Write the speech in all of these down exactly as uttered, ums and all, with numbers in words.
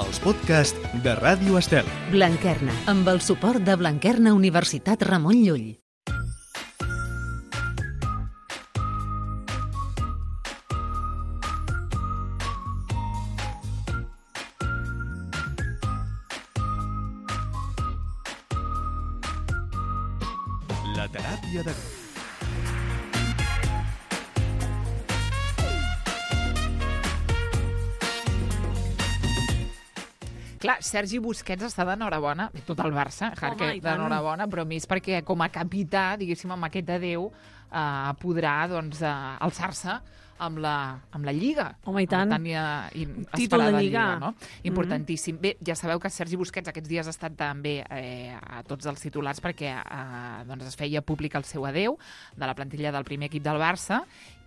els podcasts de Ràdio Estel. Blanquerna, amb el suport de Blanquerna Universitat Ramon Llull. La teràpia de grup. Clar, Sergi Busquets està d'enhorabona, tot el Barça, Jarque, d'enhorabona, però més perquè com a capità, diguéssim, amb aquest adéu, eh, podrà doncs, eh, alçar-se amb la, amb la Lliga. Home, i tant. Tan, eh, Títol de Lliga. Lliga, no? Importantíssim. Mm-hmm. Bé, ja sabeu que Sergi Busquets aquests dies ha estat també eh, a tots els titulars perquè eh, doncs es feia públic el seu adéu de la plantilla del primer equip del Barça,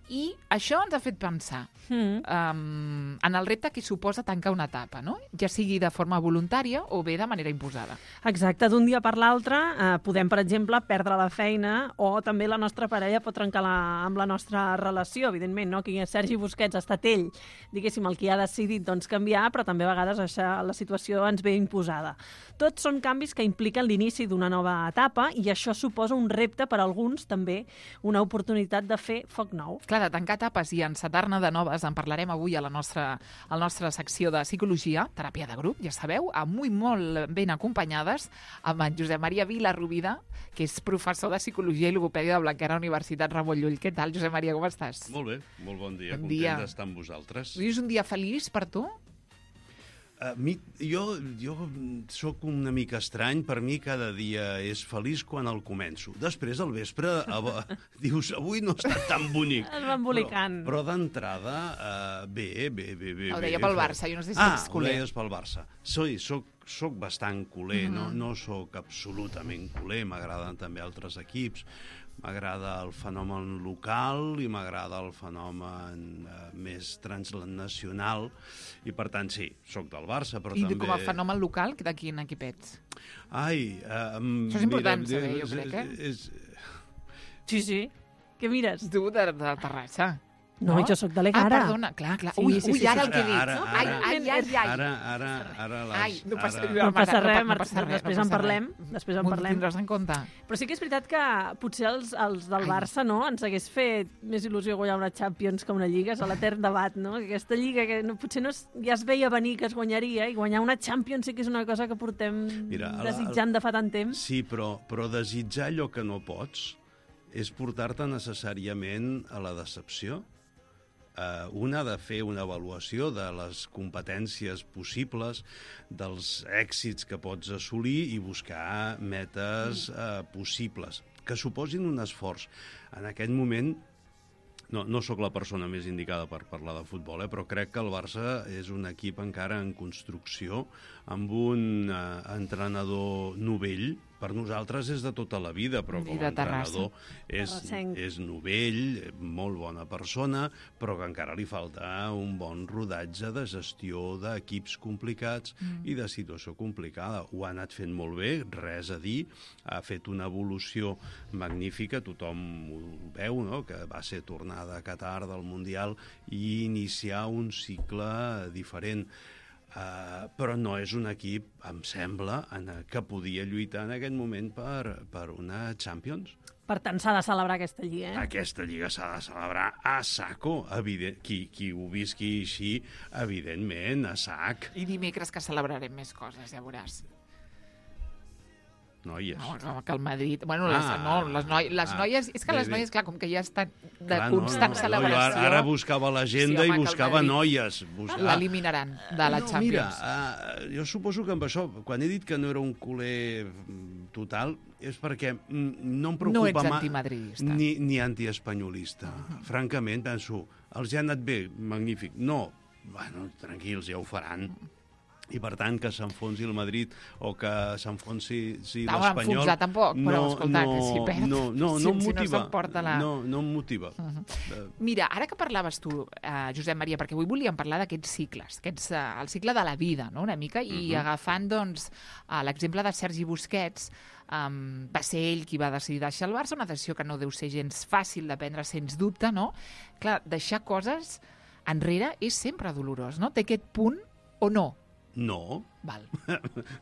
i això ens ha fet pensar mm. um, en el repte que suposa tancar una etapa, no? Ja sigui de forma voluntària o bé de manera imposada. Exacte, d'un dia per l'altre eh, podem, per exemple, perdre la feina o també la nostra parella pot trencar la, amb la nostra relació, evidentment, no? Aquí Sergi Busquets ha estat ell, diguéssim, el que ha decidit doncs, canviar, però també a vegades això, la situació ens ve imposada. Tots són canvis que impliquen l'inici d'una nova etapa i això suposa un repte per a alguns, també una oportunitat de fer foc nou. Clar, de tancar etapes i encetar-ne de noves en parlarem avui a la nostra, a la nostra secció de psicologia, teràpia de grup, ja sabeu, amb i molt ben acompanyades, amb en Josep Maria Vilarrubida, que és professor de psicologia i logopèdia de Blanquerna Universitat Ramon Llull. Què tal, Josep Maria, com estàs? Molt bé, molt bon dia, bon content dia. d'estar amb vosaltres. Avui és un dia feliç per tu? Uh, mi, jo, jo sóc una mica estrany, per mi cada dia és feliç quan el començo. Després, al vespre, a, dius, avui no ha estat tan bonic. Es va embolicant. Però, però d'entrada, uh, bé, bé, bé, bé. Ho deia bé, pel bé. Barça, jo no sé si ah, ets culer. Ah, ho deies pel Barça. Soy, soc, soc bastant culer, mm -hmm. no, no soc absolutament culer, m'agraden també altres equips. M'agrada el fenomen local i m'agrada el fenomen eh, més transnacional i, per tant, sí, sóc del Barça, però I també... I com a fenomen local, de quin equip ets? Ai... Eh, Això és important mira, saber, és, jo crec, eh? És... Sí, sí. Què mires? Tu, de, de Terrassa. No, no, jo sóc de l'Egara. Ah, perdona, clar, clar. Sí, ui, sí, ui, sí, ara sí. el que he dit. Ara, ara, ai, ai, ai, ai. Ara, ara, ara, ara les... Ai, no passa, ara... No passa res, no passa res, després no en passa parlem. res. Després en M'ho parlem. tindràs en compte. Però sí que és veritat que potser els, els del Barça no ens hagués fet més il·lusió guanyar una Champions que una Lliga, és a l'etern debat, no? Aquesta Lliga que no, potser no es, ja es veia venir que es guanyaria i guanyar una Champions sí que és una cosa que portem Mira, desitjant de fa tant temps. Sí, però, però desitjar allò que no pots és portar-te necessàriament a la decepció. Uh, un ha de fer una avaluació de les competències possibles, dels èxits que pots assolir i buscar metes uh, possibles, que suposin un esforç. En aquest moment, no, no sóc la persona més indicada per parlar de futbol, eh, però crec que el Barça és un equip encara en construcció, amb un uh, entrenador novell. Per nosaltres és de tota la vida, però com a entrenador és, és novell, molt bona persona, però que encara li falta un bon rodatge de gestió d'equips complicats mm. i de situació complicada. Ho ha anat fent molt bé, res a dir, ha fet una evolució magnífica, tothom ho veu, no?, que va ser tornada a Qatar del Mundial i iniciar un cicle diferent. Uh, però no és un equip, em sembla, en, que podia lluitar en aquest moment per, per una Champions. Per tant, s'ha de celebrar aquesta Lliga, eh? Aquesta Lliga s'ha de celebrar a saco, evident. Qui, qui ho visqui així, evidentment, a sac. I dimecres que celebrarem més coses, ja veuràs. Noies. No, que el Madrid... Bueno, les, ah, no, les, noi, les ah, noies... És que bé, les noies, clar, com que ja estan de clar, constant no, no, celebració... No, ara buscava l'agenda sí, home, i buscava noies. Buscava... L'eliminaran de la no, Champions. Mira, uh, jo suposo que amb això, quan he dit que no era un culer total, és perquè no em preocupa... No ets antimadridista. Ni, ni antiespanyolista. Uh -huh. Francament, penso, els ja ha anat bé, magnífic. No, bueno, tranquils, ja ho faran. Uh -huh. I, per tant, que s'enfonsi el Madrid o que s'enfonsi si no, l'Espanyol... enfonsar tampoc, però, no, escolta, no, que si perd... No, no, si, no em si motiva. No s'emporta la... No, no em motiva. Uh -huh. Mira, ara que parlaves tu, eh, Josep Maria, perquè avui volíem parlar d'aquests cicles, aquests, eh, el cicle de la vida, no?, una mica, i uh -huh. agafant, doncs, eh, l'exemple de Sergi Busquets, um, va ser ell qui va decidir deixar el Barça, una decisió que no deu ser gens fàcil de prendre, sens dubte, no? Clar, deixar coses enrere és sempre dolorós, no? Té aquest punt o no? No. Val.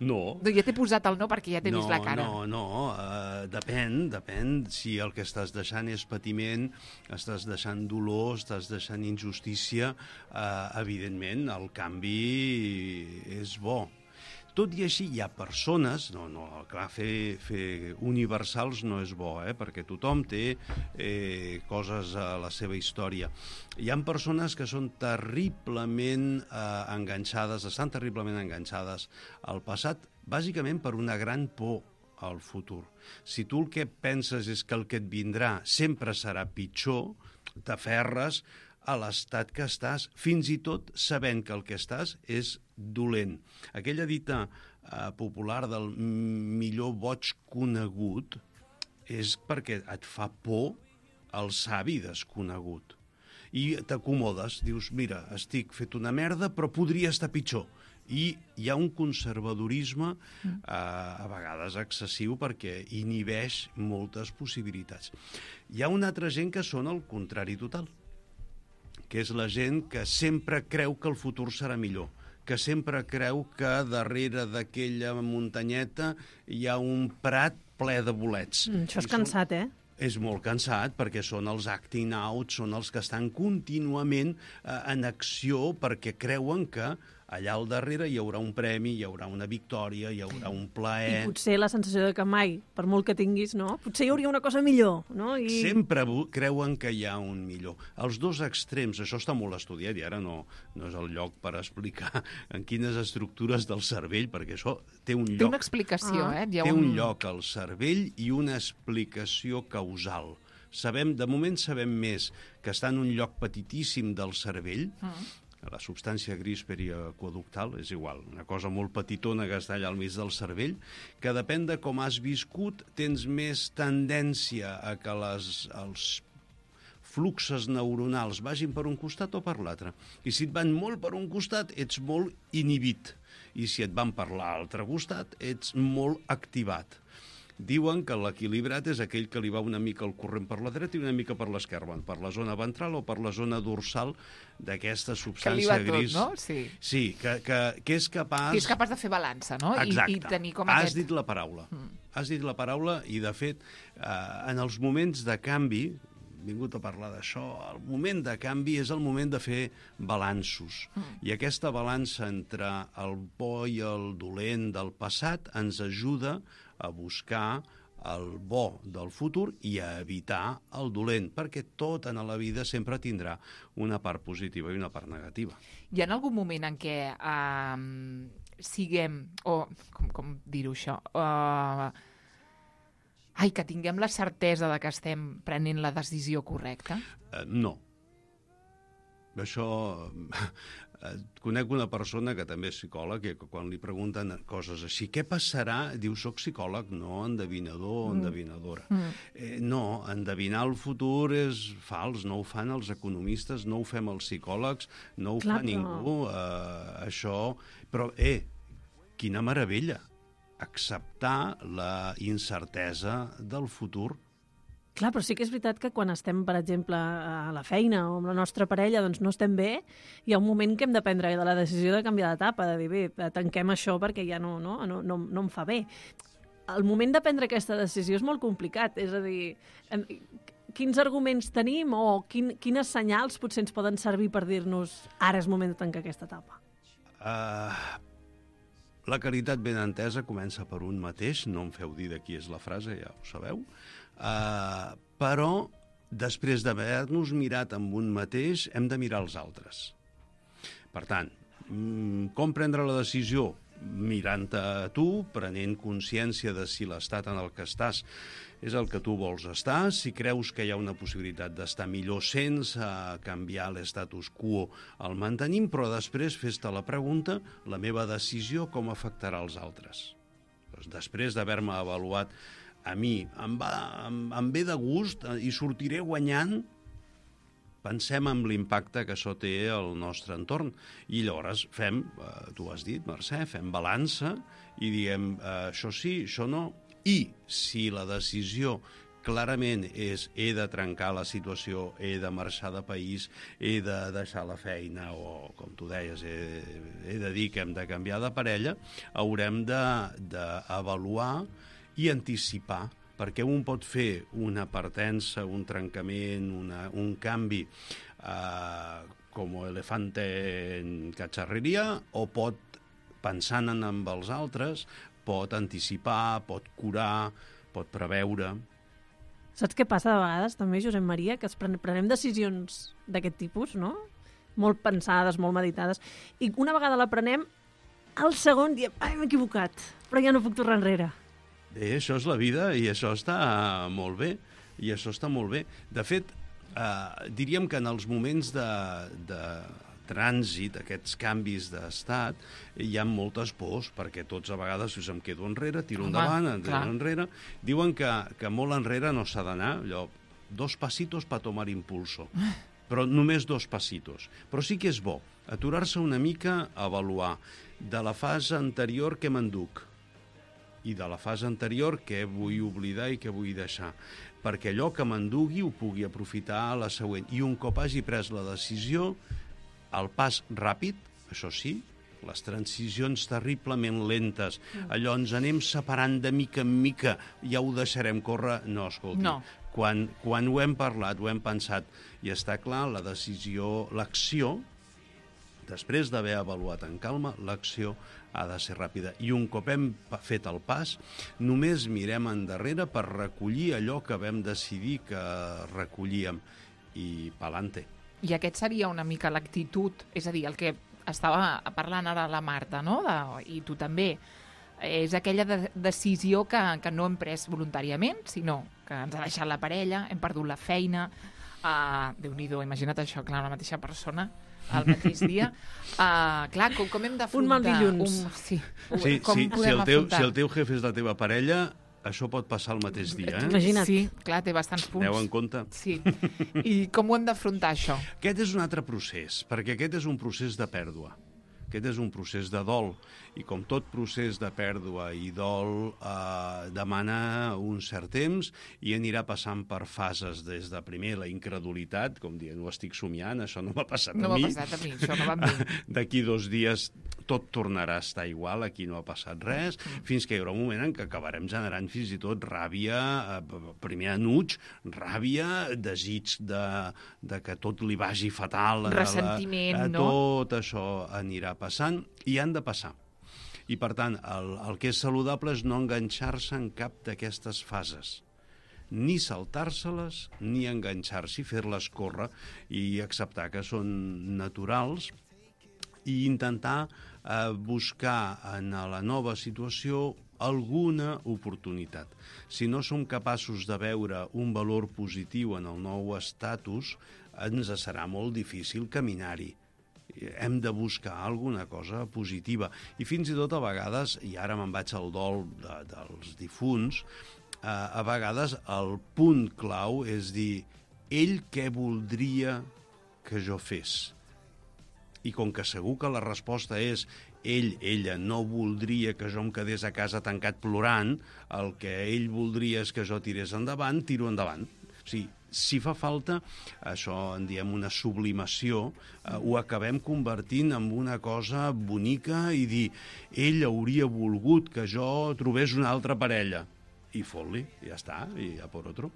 No. No, ja t'he posat el no perquè ja t'he no, vist la cara. No, no, uh, depèn, depèn si el que estàs deixant és patiment, estàs deixant dolor, estàs deixant injustícia, uh, evidentment el canvi és bo. Tot i així hi ha persones, no, no, clar, fer, fer universals no és bo, eh, perquè tothom té eh, coses a la seva història. Hi ha persones que són terriblement eh, enganxades, estan terriblement enganxades al passat, bàsicament per una gran por al futur. Si tu el que penses és que el que et vindrà sempre serà pitjor, t'aferres a l'estat que estàs, fins i tot sabent que el que estàs és dolent. Aquella dita eh, popular del millor boig conegut és perquè et fa por el savi desconegut. I t'acomodes, dius, mira, estic fet una merda, però podria estar pitjor. I hi ha un conservadorisme eh, a vegades excessiu perquè inhibeix moltes possibilitats. Hi ha una altra gent que són el contrari total, que és la gent que sempre creu que el futur serà millor, que sempre creu que darrere d'aquella muntanyeta hi ha un prat ple de bolets. Mm, això és I cansat, són... eh? És molt cansat perquè són els acting out, són els que estan contínuament eh, en acció perquè creuen que allà al darrere hi haurà un premi, hi haurà una victòria, hi haurà un plaer. I potser la sensació de que mai, per molt que tinguis, no? Potser hi hauria una cosa millor, no? I... Sempre creuen que hi ha un millor. Els dos extrems, això està molt estudiat i ara no, no és el lloc per explicar en quines estructures del cervell, perquè això té un lloc. Té una explicació, Ah. eh? Hi ha Té un lloc al cervell i una explicació causal. Sabem, de moment sabem més que està en un lloc petitíssim del cervell, mm. la substància gris periaqueductal, és igual, una cosa molt petitona que està allà al mig del cervell, que depèn de com has viscut, tens més tendència a que les, els fluxes neuronals vagin per un costat o per l'altre. I si et van molt per un costat, ets molt inhibit. I si et van per l'altre costat, ets molt activat. Diuen que l'equilibrat és aquell que li va una mica al corrent per la dreta i una mica per l'esquerra, per la zona ventral o per la zona dorsal d'aquesta substància tot, gris. no? Sí. Sí, que, que, que és capaç... Que és capaç de fer balança, no? I, Exacte. I tenir com Has aquest... dit la paraula. Mm. Has dit la paraula i, de fet, eh, en els moments de canvi, vingut a parlar d'això, el moment de canvi és el moment de fer balanços. Mm. I aquesta balança entre el bo i el dolent del passat ens ajuda a buscar el bo del futur i a evitar el dolent, perquè tot en la vida sempre tindrà una part positiva i una part negativa. Hi ha algun moment en què eh, siguem, o com, com dir-ho això, eh, ai, que tinguem la certesa de que estem prenent la decisió correcta? Eh, no. Això... Conec una persona que també és psicòleg i que quan li pregunten coses així, què passarà? Diu, soc psicòleg, no endevinador o endevinadora. Mm. Eh, no, endevinar el futur és fals, no ho fan els economistes, no ho fem els psicòlegs, no ho Clar, fa ningú. Eh, això... Però, eh, quina meravella! Acceptar la incertesa del futur. Clar, però sí que és veritat que quan estem, per exemple, a la feina o amb la nostra parella, doncs no estem bé, hi ha un moment que hem de prendre de la decisió de canviar d'etapa, de dir, bé, tanquem això perquè ja no, no, no, no, no em fa bé. El moment de prendre aquesta decisió és molt complicat, és a dir, quins arguments tenim o quin, quines senyals potser ens poden servir per dir-nos ara és moment de tancar aquesta etapa? Uh, la caritat ben entesa comença per un mateix, no em feu dir de qui és la frase, ja ho sabeu, Uh, però després d'haver-nos mirat amb un mateix hem de mirar els altres. Per tant, com prendre la decisió? Mirant-te a tu, prenent consciència de si l'estat en el que estàs és el que tu vols estar, si creus que hi ha una possibilitat d'estar millor sense canviar l'estatus quo el mantenim, però després fes-te la pregunta, la meva decisió com afectarà els altres? Doncs després d'haver-me avaluat a mi em, va, em, em ve de gust i sortiré guanyant, pensem en l'impacte que això té al nostre entorn. I llavors fem, eh, tu has dit, Mercè, fem balança i diem eh, això sí, això no. I si la decisió clarament és he de trencar la situació, he de marxar de país, he de deixar la feina o, com tu deies, he, he de dir que hem de canviar de parella, haurem d'avaluar i anticipar, perquè un pot fer una partença, un trencament, una, un canvi eh, com elefante en cacharreria, o pot, pensant en amb els altres, pot anticipar, pot curar, pot preveure. Saps què passa de vegades, també, Josep Maria? Que es pren prenem decisions d'aquest tipus, no? Molt pensades, molt meditades, i una vegada la prenem, al segon diem, ai, m'he equivocat, però ja no puc tornar enrere. Bé, això és la vida i això està molt bé, i això està molt bé. De fet, eh, diríem que en els moments de, de trànsit, aquests canvis d'estat, hi ha moltes pors, perquè tots a vegades si em quedo enrere, tiro Home, endavant, em clar. tiro enrere. Diuen que, que molt enrere no s'ha d'anar, allò, dos pasitos para tomar impulso, però només dos pasitos. Però sí que és bo aturar-se una mica a avaluar de la fase anterior que m'enduc i de la fase anterior què vull oblidar i què vull deixar, perquè allò que m'endugui ho pugui aprofitar a la següent. I un cop hagi pres la decisió, el pas ràpid, això sí, les transicions terriblement lentes, allò ens anem separant de mica en mica, ja ho deixarem córrer, no, escolti. No. Quan, quan ho hem parlat, ho hem pensat, i està clar, la decisió, l'acció, després d'haver avaluat en calma, l'acció ha de ser ràpida. I un cop hem fet el pas, només mirem endarrere per recollir allò que vam decidir que recollíem, i pa'lante. I aquest seria una mica l'actitud, és a dir, el que estava parlant ara la Marta, no? De, i tu també, és aquella de decisió que, que no hem pres voluntàriament, sinó que ens ha deixat la parella, hem perdut la feina, uh, Déu-n'hi-do, imagina't això, clar, la mateixa persona, al mateix dia. Uh, clar, com, com hem d'afrontar... Un mal dilluns. Un, sí, Sí, com sí, si, podem el teu, afrontar? si el teu jefe és la teva parella, això pot passar el mateix dia, eh? Imagina't. Sí, clar, té bastants punts. Aneu en compte. Sí. I com ho hem d'afrontar, això? Aquest és un altre procés, perquè aquest és un procés de pèrdua. Aquest és un procés de dol, i com tot procés de pèrdua i dol eh, demana un cert temps i anirà passant per fases des de primer la incredulitat, com dient, ho estic somiant, això no m'ha passat No a m'ha mi. passat a mi, això no va amb mi. D'aquí dos dies tot tornarà a estar igual, aquí no ha passat res, fins que hi haurà un moment en què acabarem generant fins i tot ràbia, eh, primer enuig, ràbia, desig de, de que tot li vagi fatal. Ressentiment, a la, a no? Tot això anirà passant i han de passar. I, per tant, el, el que és saludable és no enganxar-se en cap d'aquestes fases. Ni saltar-se-les, ni enganxar-s'hi, fer-les córrer i acceptar que són naturals i intentar eh, buscar en la nova situació alguna oportunitat. Si no som capaços de veure un valor positiu en el nou estatus, ens serà molt difícil caminar-hi. Hem de buscar alguna cosa positiva. I fins i tot a vegades, i ara me'n vaig al dol de, dels difunts, eh, a vegades el punt clau és dir, ell què voldria que jo fes? I com que segur que la resposta és ell, ella, no voldria que jo em quedés a casa tancat plorant, el que ell voldria és que jo tirés endavant, tiro endavant. O sigui, si fa falta, això en diem una sublimació, eh, ho acabem convertint en una cosa bonica i dir, ell hauria volgut que jo trobés una altra parella. I fot-li, ja està, i a por otro.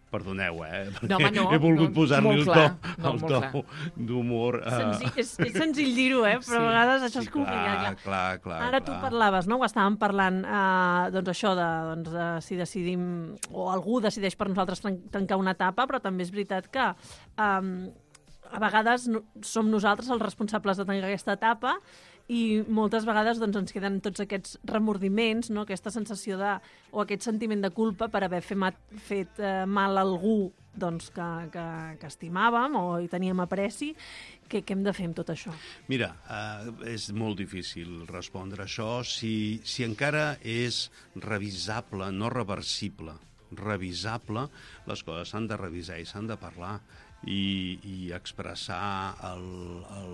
Perdoneu, eh? No, home, no, he volgut no, posar-li el molt to, clar, no, el molt to d'humor. Eh... Senzill, és, és senzill dir-ho, eh? Però Sí. a vegades això Sí, és complicat. clar, clar, clar. Ara clar. tu parlaves, no? Ho estàvem parlant, eh, doncs això de, doncs, de si decidim, o algú decideix per nosaltres tan- tancar una etapa, però també és veritat que eh, a vegades no, som nosaltres els responsables de tancar aquesta etapa i moltes vegades doncs, ens queden tots aquests remordiments, no? Aquesta sensació de, o aquest sentiment de culpa per haver fet, mat, fet eh, mal a algú doncs, que, que, que estimàvem o hi teníem apreci. Què, què hem de fer amb tot això? Mira, eh, és molt difícil respondre això si, si encara és revisable, no reversible. Revisable, les coses s'han de revisar i s'han de parlar i, i expressar el, el,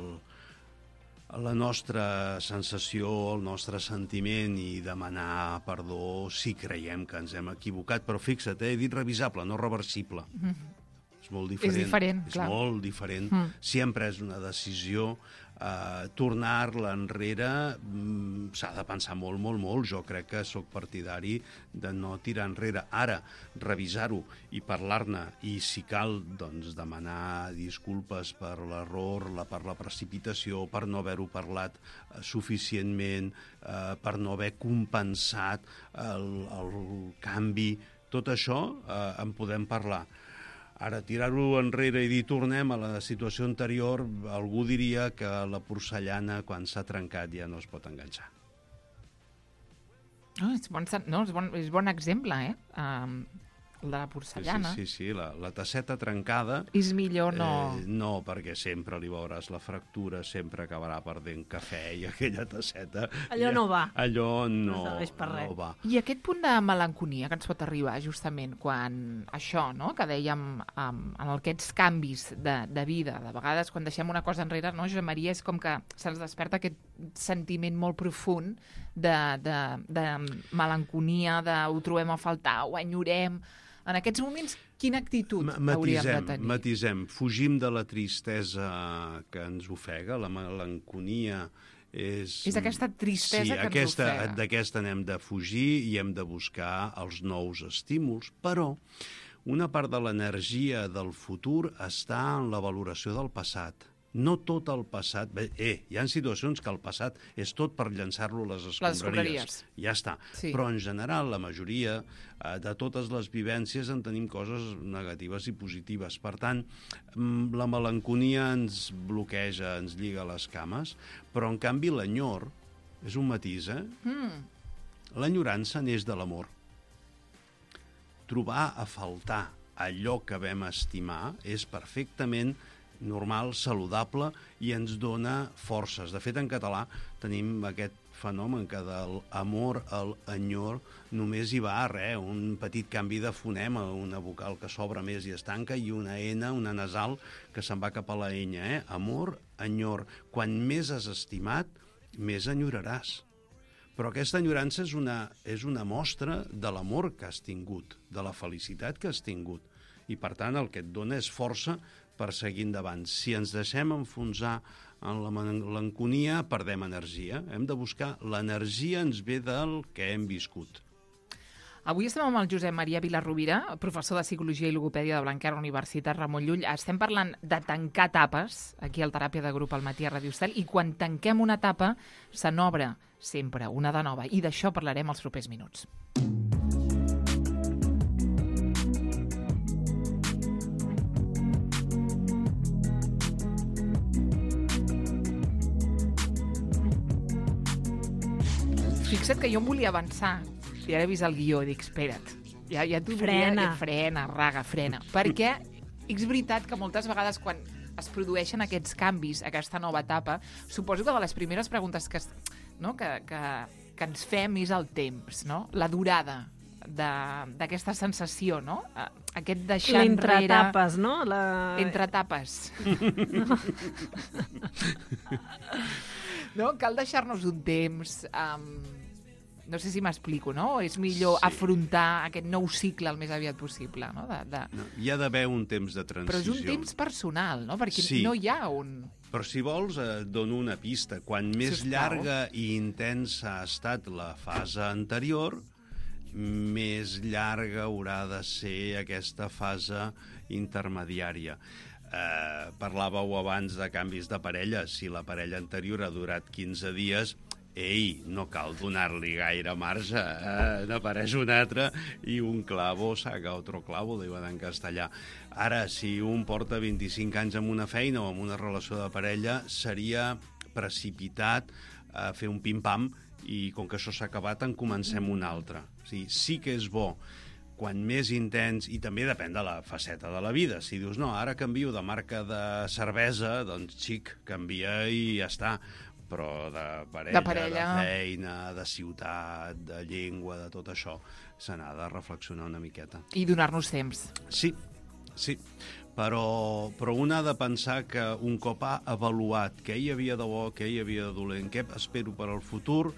la nostra sensació, el nostre sentiment i demanar perdó si creiem que ens hem equivocat. Però fixa't, eh, he dit revisable, no reversible. Mm-hmm. És molt diferent. És diferent, és clar. molt diferent. Mm. Si hem pres una decisió, eh, tornar-la enrere mm, s'ha de pensar molt, molt, molt. Jo crec que sóc partidari de no tirar enrere. Ara, revisar-ho i parlar-ne, i si cal, doncs, demanar disculpes per l'error, la, per la precipitació, per no haver-ho parlat eh, suficientment, eh, per no haver compensat el, el canvi. Tot això eh, en podem parlar. Ara, tirar-ho enrere i dir tornem a la situació anterior, algú diria que la porcellana, quan s'ha trencat, ja no es pot enganxar. Oh, és, bon, no, és, bon, és bon exemple, eh? Um, el de la porcellana. Sí, sí, sí, la, la tasseta trencada... És millor no... Eh, no, perquè sempre li veuràs la fractura, sempre acabarà perdent cafè i aquella tasseta... Allò ja, no va. Allò no, No serveix per res. no va. I aquest punt de melanconia que ens pot arribar justament quan això, no?, que dèiem um, en aquests canvis de, de vida, de vegades quan deixem una cosa enrere, no, Josep Maria, és com que se'ns desperta aquest sentiment molt profund de, de, de melanconia, de ho trobem a faltar, ho enyorem. En aquests moments, quina actitud hauríem de tenir? Matisem, fugim de la tristesa que ens ofega, la melanconia és... És aquesta tristesa sí, que aquesta, ens ofega. D'aquesta n'hem de fugir i hem de buscar els nous estímuls, però una part de l'energia del futur està en la valoració del passat. No tot el passat... Bé, eh, hi ha situacions que el passat és tot per llançar-lo a les escombraries. escombraries. Ja està. Sí. Però, en general, la majoria eh, de totes les vivències en tenim coses negatives i positives. Per tant, la melanconia ens bloqueja, ens lliga les cames, però, en canvi, l'enyor és un matís, eh? Mm. L'enyorança neix de l'amor. Trobar a faltar allò que vam estimar és perfectament normal, saludable, i ens dona forces. De fet, en català tenim aquest fenomen que de l'amor al enyor només hi va res, un petit canvi de fonema, una vocal que s'obre més i es tanca, i una ena, una nasal, que se'n va cap a la enya. Eh? Amor, enyor. Quan més has estimat, més enyoraràs. Però aquesta enyorança és una, és una mostra de l'amor que has tingut, de la felicitat que has tingut. I, per tant, el que et dona és força per seguir endavant. Si ens deixem enfonsar en la melanconia, perdem energia. Hem de buscar l'energia, ens ve del que hem viscut. Avui estem amb el Josep Maria Vilarrovira, professor de Psicologia i Logopèdia de Blanquerna, Universitat Ramon Llull. Estem parlant de tancar etapes, aquí al Teràpia de Grup al matí a Ràdio Estel, i quan tanquem una etapa, se n'obre sempre una de nova. I d'això parlarem els propers minuts. Fixa't que jo em volia avançar i ara he vist el guió i dic, espera't, ja, ja t'ho Frena. volia... Frena, raga, frena. Perquè és veritat que moltes vegades quan es produeixen aquests canvis, aquesta nova etapa, suposo que de les primeres preguntes que, no, que, que, que ens fem és el temps, no? La durada d'aquesta sensació, no? Aquest deixar enrere... L'entreetapes, no? La... Entretapes. No? Cal deixar-nos un temps... Um, no sé si m'explico, no? És millor Sí. afrontar aquest nou cicle el més aviat possible, no? De, de... No, hi ha d'haver un temps de transició. Però és un temps personal, no? Perquè Sí. no hi ha un... Però si vols, eh, et dono una pista. Quan més Sisplau. llarga i intensa ha estat la fase anterior, més llarga haurà de ser aquesta fase intermediària. Eh, parlàveu abans de canvis de parella. Si la parella anterior ha durat quinze dies, ei, no cal donar-li gaire marge, eh? N'apareix un altre i un clavo saca otro clavo, diuen en castellà. Ara, si un porta vint-i-cinc anys amb una feina o amb una relació de parella, seria precipitat a fer un pim-pam i com que això s'ha acabat en comencem un altre. O sigui, sí que és bo quan més intens, i també depèn de la faceta de la vida. Si dius, no, ara canvio de marca de cervesa, doncs xic, canvia i ja està. Però de parella, De parella. de feina, de ciutat, de llengua, de tot això, se n'ha de reflexionar una miqueta. I donar-nos temps. Sí, Sí, però, però un ha de pensar que un cop ha avaluat què hi havia de bo, què hi havia de dolent, què espero per al futur,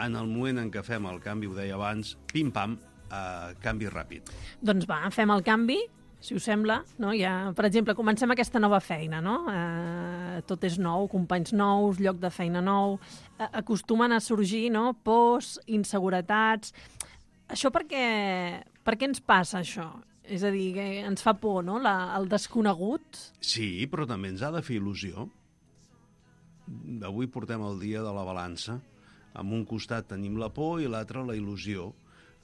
en el moment en què fem el canvi, ho deia abans, pim-pam, eh, canvi ràpid. Doncs va, fem el canvi, si us sembla. No? Ja, per exemple, comencem aquesta nova feina. No? Eh, tot és nou, companys nous, lloc de feina nou. Eh, acostumen a sorgir, no? Pors, inseguretats. Això per què, per què ens passa, això? És a dir, que ens fa por, no?, La, el desconegut. Sí, però també ens ha de fer il·lusió. Avui portem el dia de la balança. En un costat tenim la por i l'altre la il·lusió.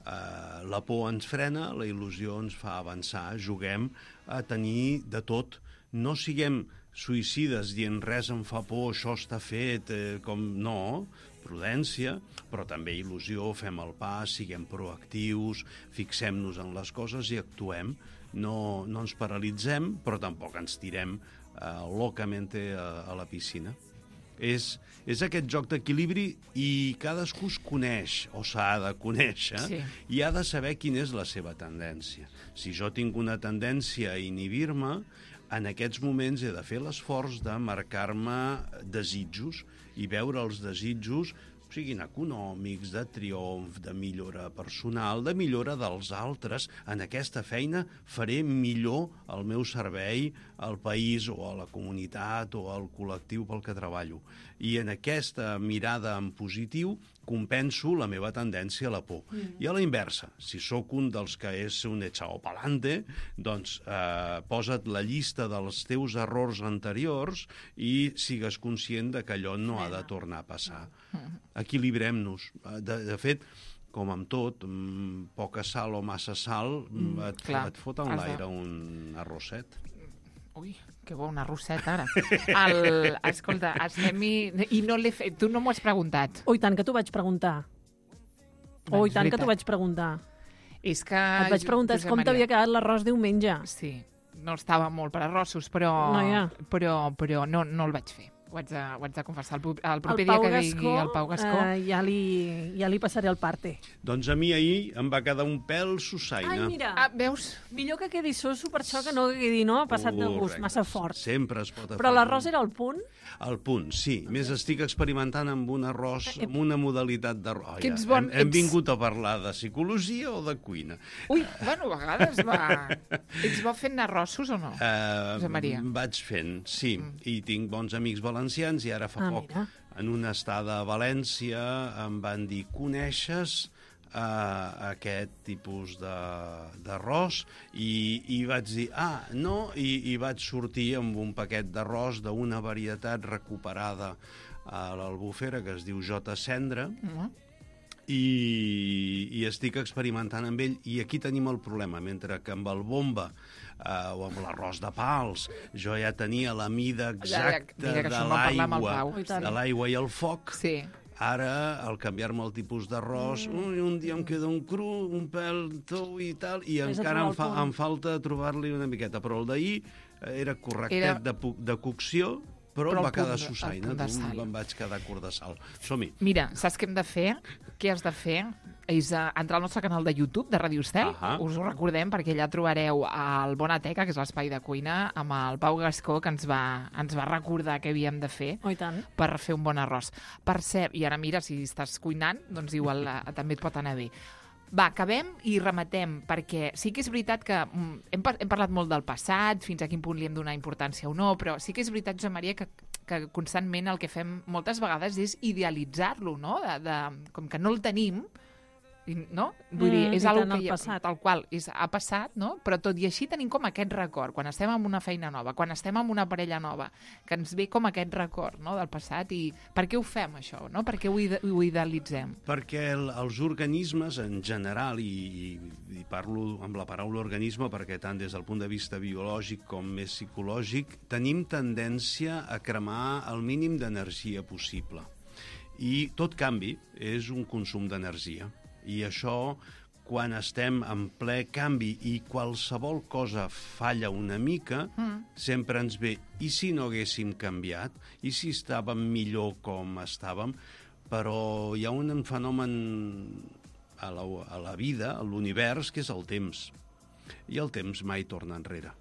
Uh, la por ens frena, la il·lusió ens fa avançar. Juguem a tenir de tot. No siguem suïcides dient res em fa por, això està fet, eh, com no, prudència, però també il·lusió, fem el pas, siguem proactius, fixem-nos en les coses i actuem. No, no ens paralitzem, però tampoc ens tirem uh, locamente a, a la piscina. És, és aquest joc d'equilibri i cadascú es coneix, o s'ha de conèixer, sí. I ha de saber quina és la seva tendència. Si jo tinc una tendència a inhibir-me, en aquests moments he de fer l'esforç de marcar-me desitjos i veure els desitjos, siguin econòmics, de triomf, de millora personal, de millora dels altres. En aquesta feina faré millor el meu servei al país o a la comunitat o al col·lectiu pel que treballo. I en aquesta mirada en positiu compenso la meva tendència a la por. Mm. I a la inversa, si sóc un dels que és un echao pa'lante, doncs eh, posa't la llista dels teus errors anteriors i sigues conscient de que allò no ha de tornar a passar. Equilibrem-nos. De, de fet, com amb tot, poca sal o massa sal, mm, et, Clar, et fot en l'aire de... un arrosset. Ui, que bo, una rosseta, ara. El, escolta, estem i, i no l'he fet. Tu no m'ho has preguntat. Oh, i tant que t'ho vaig preguntar. Oh, i tant que t'ho vaig preguntar. És que... Et vaig preguntar com Maria. T'havia quedat l'arròs diumenge. Sí, no estava molt per arrossos, però, no, ja. però, però no, no el vaig fer. Ho haig de, ho haig de confessar. El, el proper el dia que Gascó, digui el Pau Gascó... Eh, ja, li, ja li passaré el parte. Doncs a mi ahir em va quedar un pèl sussaina. Ai, mira, ah, veus? Millor que quedi soso per això que no quedi, no? Passat de gust, massa fort. Sempre es pot afegir. Però l'arròs era al punt? Al punt, sí. Okay. Més estic experimentant amb un arròs, amb una modalitat d'arròs. Que ets bon, hem, hem ets... vingut a parlar de psicologia o de cuina? Ui, bueno, a vegades va... Ets bo fent arrossos o no, uh, Josep Maria? Vaig fent, sí. Mm. I tinc bons amics valencians i ara fa ah, poc, mira. en una estada a València, em van dir, coneixes uh, aquest tipus d'arròs? I, I vaig dir, ah, no, i, i vaig sortir amb un paquet d'arròs d'una varietat recuperada a l'Albufera que es diu J. Cendra, mm. i, i estic experimentant amb ell, i aquí tenim el problema, mentre que amb el bomba Uh, o amb l'arròs de pals, jo ja tenia la mida exacta ja, ja, de l'aigua de l'aigua i el foc. Sí. Ara, al canviar-me el tipus d'arròs, mm. un dia em queda un cru, un pèl tou i tal, i Més encara em, fa, em falta trobar-li una miqueta. Però el d'ahir era correctet era... de, de cocció, però, però em va quedar sussaina, em vaig quedar curt de sal. Som-hi. Mira, saps què hem de fer? Què has de fer? És uh, entrar al nostre canal de YouTube, de Radio Estel. Uh -huh. Us ho recordem, perquè allà trobareu el Bonateca, que és l'espai de cuina, amb el Pau Gascó, que ens va, ens va recordar què havíem de fer oh, tant. per fer un bon arròs. Per cert, i ara mira, si estàs cuinant, doncs igual uh, també et pot anar bé. Va, acabem i rematem, perquè sí que és veritat que mm, hem, par hem parlat molt del passat, fins a quin punt li hem donat importància o no, però sí que és veritat, Josep Maria, que, que constantment el que fem moltes vegades és idealitzar-lo, no? De, de, com que no el tenim, no? Vull dir, mm, és algo que ja, tal qual és, ha passat, no? Però tot i així tenim com aquest record, quan estem en una feina nova, quan estem en una parella nova, que ens ve com aquest record, no?, del passat. I per què ho fem, això? No? Per què ho, ide ho idealitzem? Perquè el, els organismes, en general, i, i parlo amb la paraula organisme perquè tant des del punt de vista biològic com més psicològic, tenim tendència a cremar el mínim d'energia possible. I tot canvi és un consum d'energia. I això, quan estem en ple canvi i qualsevol cosa falla una mica, mm. sempre ens ve, i si no haguéssim canviat? I si estàvem millor com estàvem? Però hi ha un fenomen a la, a la vida, a l'univers, que és el temps. I el temps mai torna enrere.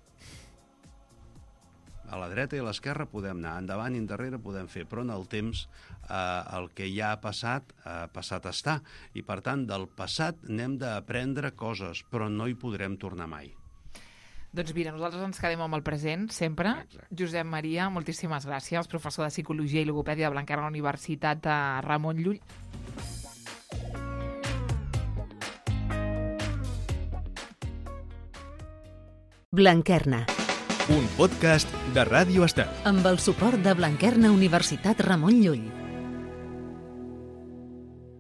A la dreta i a l'esquerra podem anar, endavant i endarrere podem fer, però en el temps eh, el que ja ha passat, ha passat està. I per tant, del passat n'hem d'aprendre coses, però no hi podrem tornar mai. Doncs mira, nosaltres ens quedem amb el present, sempre. Exacte. Josep Maria, moltíssimes gràcies, professor de Psicologia i Logopèdia de Blanquerna a la Universitat de Ramon Llull. Blanquerna, Un podcast de Ràdio Estel. amb el suport de Blanquerna Universitat Ramon Llull.